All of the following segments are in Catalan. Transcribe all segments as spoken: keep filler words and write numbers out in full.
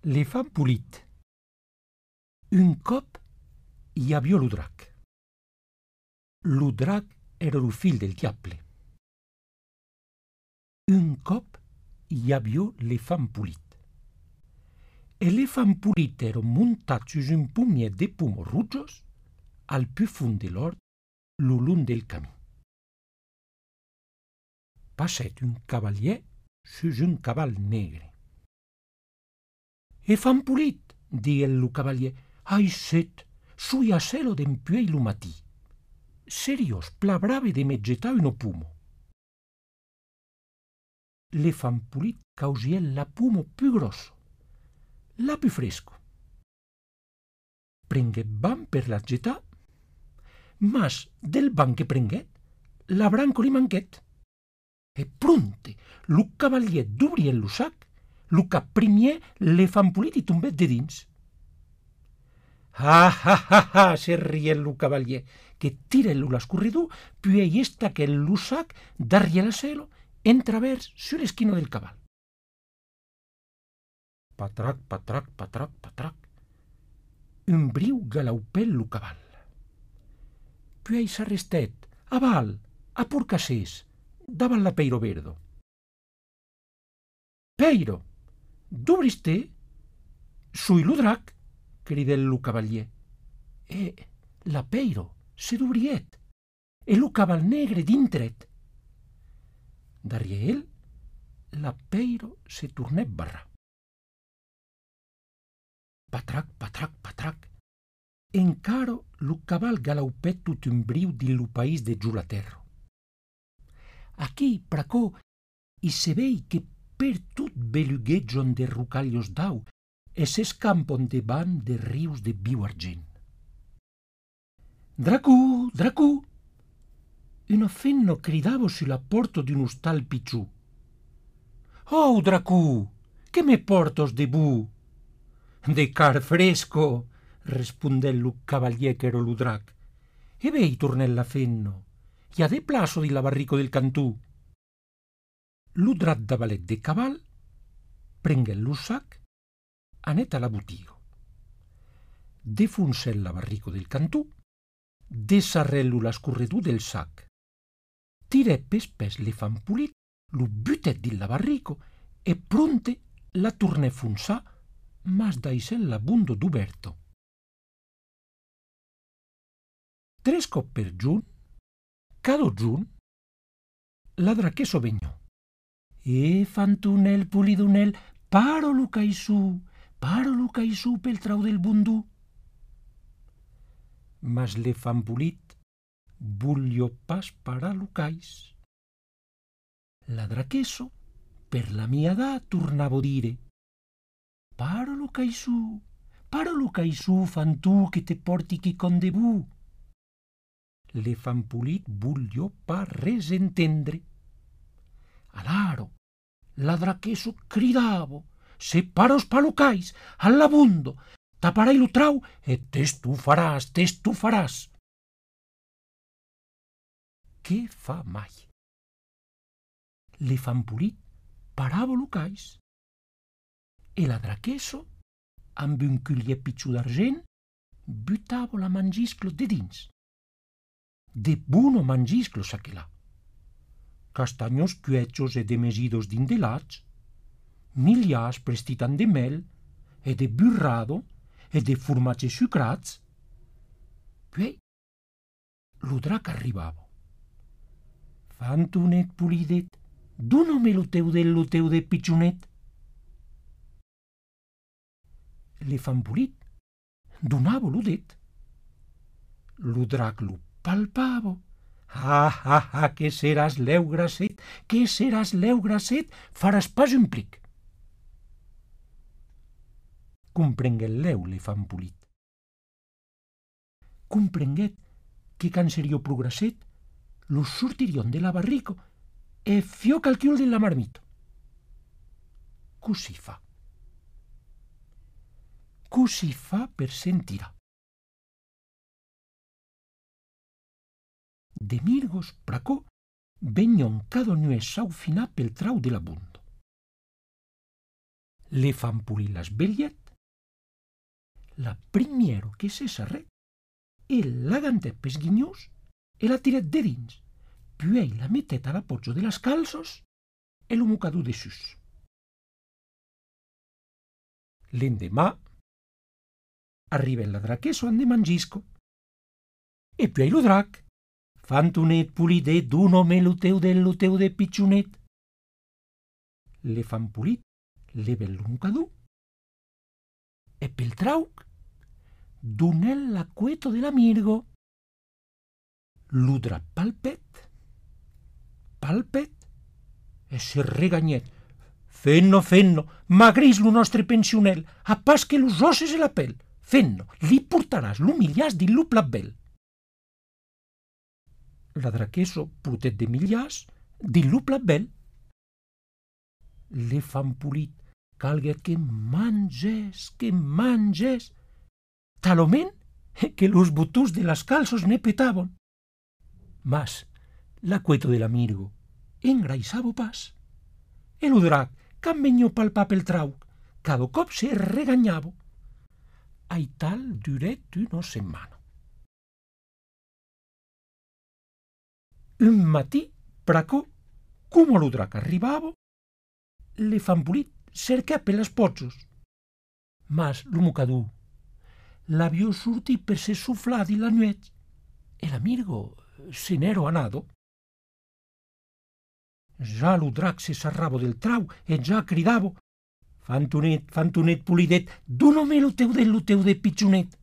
L'elefant polit. Un cop hi havia lo drac. Lo drac era lo fill del diable. Un cop hi havia l'elefant polit. L'elefant polit era muntat sus un pomiet de pomos rugos al più fund de l'hort, lo long del camí. Passet un cavalier sus un caval negre. «Elefant polit», digué lo cavalier, «ai set, sui a celo dempuei lo matí. Serios, pla brave de me gettar uno pomo». L'elefant polit causiè la pomo più grosso, la più fresco. Prengué ban per la gettar, mas del ban che prenguet, la branco li manquet. E pronte, lo cavalier d'obriè lo sac, lo caprimiè l'elefant polit i tombèt de dins. «Ah, ah, ah, ah!» se riè lo cavalier, que tirèlo l'escorredor, puis estaquè lo sac darriè la celo, en travers sur l'esquina del caval. Patrac, patrac, patrac, patrac. Un briu galaupè lo caval. Puis s'arrestèt, aval, a porcassès, davant la Peiro Verdo. «Peiro, d'obriste?» «Sui lo drac», cridè lo cavalier. E la Peiro se d'obrièt, e lo caval negre dintret. Darriè el, la Peiro se tornèt barrar. Patrac, patrac, patrac. Encaro lo caval galaupèt tot un briu di lo país de Giulaterro. Aquí, pr'acò, i se vei que per tot belugueggion de rucaglios d'au e s'escampon debant de rius de viu argent. «Dracù, Dracù!» Una fenno cridavo sulla porta d'un ostal picciù. «Oh, Dracù, che me portos de bu?» «De car fresco», rispondè lo cavalier che era lo drac. «E vei, tornè la fenno, i ha de plaso di la barrico del cantù». Lo drac davalet de caval, prengué lo sac, anèt a la botiga. Defoncè la barrico del cantù, desarrèlo l'escorredor del sac. Tirè pes pes l'elefant polit, lo butèt din la barrico e pronte la tornè fonçar, mas daissèl l'abundo d'oberto. Tres cop per giorn, cada giorn, la draquesso vegnò. «E fantunel polidunel, paro lo caissù, paro lo caissù pel trau del bundù». Mas l'elefant polit vogliò pas parar lo cais. La draquesso, per la mia edat, tornava a dire: «Paro lo caissù, paro lo caissù, fantù, che te porti quicon de bu». L'elefant polit vogliò pas res entendre. Alaro, la draquesso cridavo: «Se paros pa lo cais, all'abundo, taparai lo trau e t'estufaràs, t'estufaràs». Què fa mai? L'elefant polit parava lo cais e la draquesso, amb un culier picciù d'argent, butava la mangisclo de dins. De buono mangisclo s'aquelà. Castagnos cuechos e demesidos d'indelats, migliars prestitan de mel e de burrado e de formatge sucrats. Puis, lo drac arribava. «Fantonet polidet, dona-me lo teu del lo teu de piccionet». L'elefant polit donava lo det. Lo drac lo palpava. «Ah, ah, ah, que seràs l'eu grasset, que seràs l'eu grasset, faràs pas un plic». Comprengué l'eu l'elefant polit. Comprenguet que can serio progresset, lo sortirion de la barrico e fiò calquiol de la marmito. Così fa. Così fa per sentirà. De mirgos pr'acò vegnon cada nues saufinà pel trau de l'abundo. Le fan polir l'esbellet. La primiero que se sarret, el l'agantèt pes guinyós e la tiret de dins, puei la metet a l'apoggia de las calços e lo mocadú de sus. L'endemà arriba el ladraqueso ande mangisco, e puei lo drac, fantonet polidet d'un home luteu del luteu de piccionet. Le fan polit, le vel lo mocadú, e pel trauc, donel l'acueto de l'amirgo. Lo drac palpet, palpet, e se reganyet. Fenno, fenno, magris lo nostre pensionel, a pas que los osses e la pel. Fenno, li portaràs l'humiliàs di lo plat bel. L'adraqueso portet de millàs di lo plat bel. Le fan polit, calguet que manges, que manges. Talament que los botús de las calços ne petaban. Mas l'acueto de l'amirgo engraisavo pas. E lo drac, qu'an vegniu palpar pel trauc, cada cop se regañavo. Ai tal duret una setmana. Un matí, pracò, como lo drac arribava, le fan polit cerca per las pozzos. Mas lo mocadú l'avió sortit per se suflar di la nuet e l'amirgo se n'ero anado. Ja lo drac se sarravo del trau e ja cridavo: Fantonet, fantonet polidet, d'un home lo teu del lo teu de piccionet.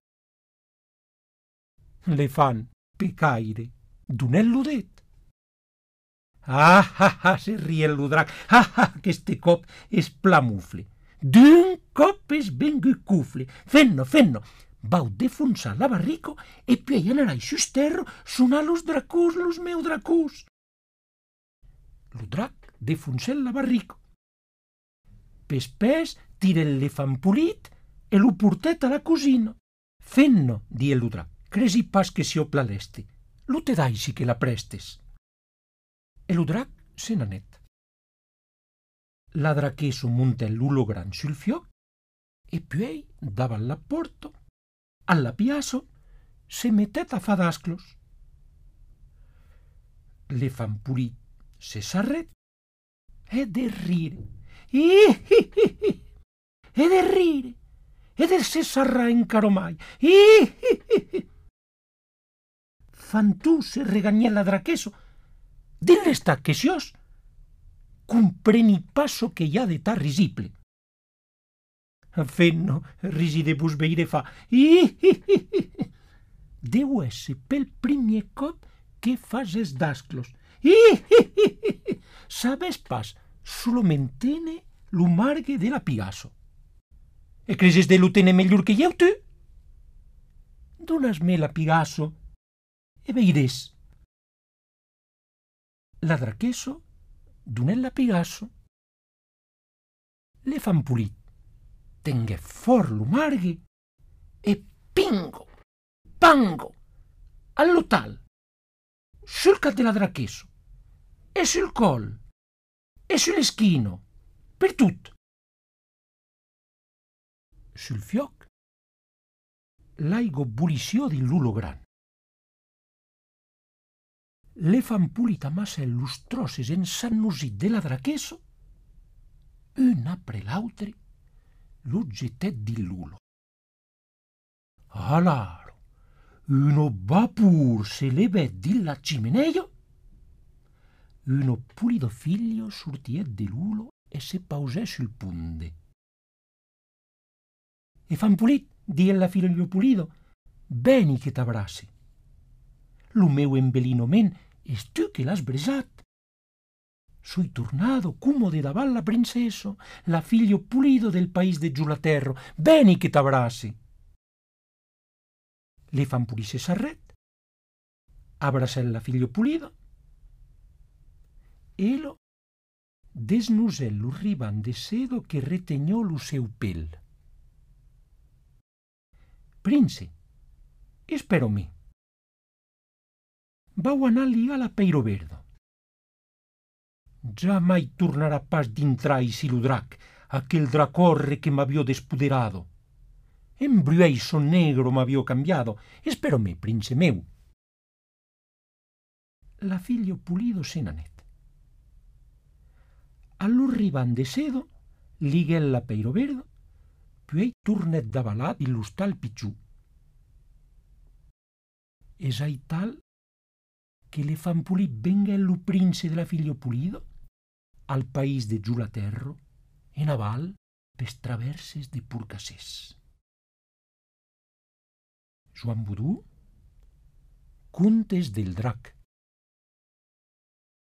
Le fan pecaire, donel lo det. Ah, ah, ah, se rie lo drac, ah, ah, que este cop es plamufle. D'un cop es vengut cufle. Fenno, fenno, vau defonsar la barrico e puei anar ai sus terro sonar los dracús, los meu dracús. Lo drac defonsel la barrico. Pes pes tirel le fan polit e lo portet a la cosina. Fenno, die lo drac, cresi pas que si opla l'este. Lo te dai si que la prestes. E lo drac se n'anet. L'adraqueso montel l'ulo gran sul fioc e puei, davan la porto, alla piasso, se metet a fadasclos. Le fan polit se sarret e de rire. I, i, i, i, e de rire, e de se sarrà encaro mai. I, i, i, i. Fantù se regagnè l'adraqueso. Din l'estat que sios compreni passo que hi ha de ta risible. Fenno, risi de vos veire fa. I, i, i, i. Deu esse pel primier cop que fas es dasclos. I, i, i, i. Sabes pas, solomentene lo margue de la pigasso. E creses de lo tene mellor que eu tu? Donasme la pigasso e veires. L'adraqueso donel la pigasso. Le fan polit, tengué fort lo margue e pingo, pango, all'otal, sul cap de l'adraqueso, e sul col, e sull'eschino, per tut. Sul fioc, l'aigo bulició di l'ulo gran. Le fan polit amassa los trosses ensannosit de l'adraqueso, un apre l'autre, lo gettet di l'ulo. Alaro, uno vapor se levet di la cimenea, uno pulido figlio sortiet de l'ulo e se pausè sul punde. E fan polit, die la figlio pulido, beni che t'abrassi. Lo meu embelinoment es tu che l'has bresat. Soi tornado como de davant la princeso, la figlio pulido del país de Giulaterro. Beni che t'abrassi. Le fan polit se sarret, abrasel la figlio pulido, e lo desnusel lo riban de sedo que retegnò lo seu pel. Prince, espero mi. Vau anar a ligar la peiro verdo. Ja mai tornarà pas d'intrar ici lo drac, aquel dracorre que m'avio despoderado. Embruei son negro m'avio cambiado. Esperome, prince meu. La figlio pulido se n'anèt. Allor riban de cedo, liguèla peiro verdo, puei tornet d'avalà di lo stal picciù. Es ai tal che le fan pulì benghèllo prince de la figlio pulido al país de Giulaterro, en aval pes traverses de Purcassès. Joan Budú, Contes del drac.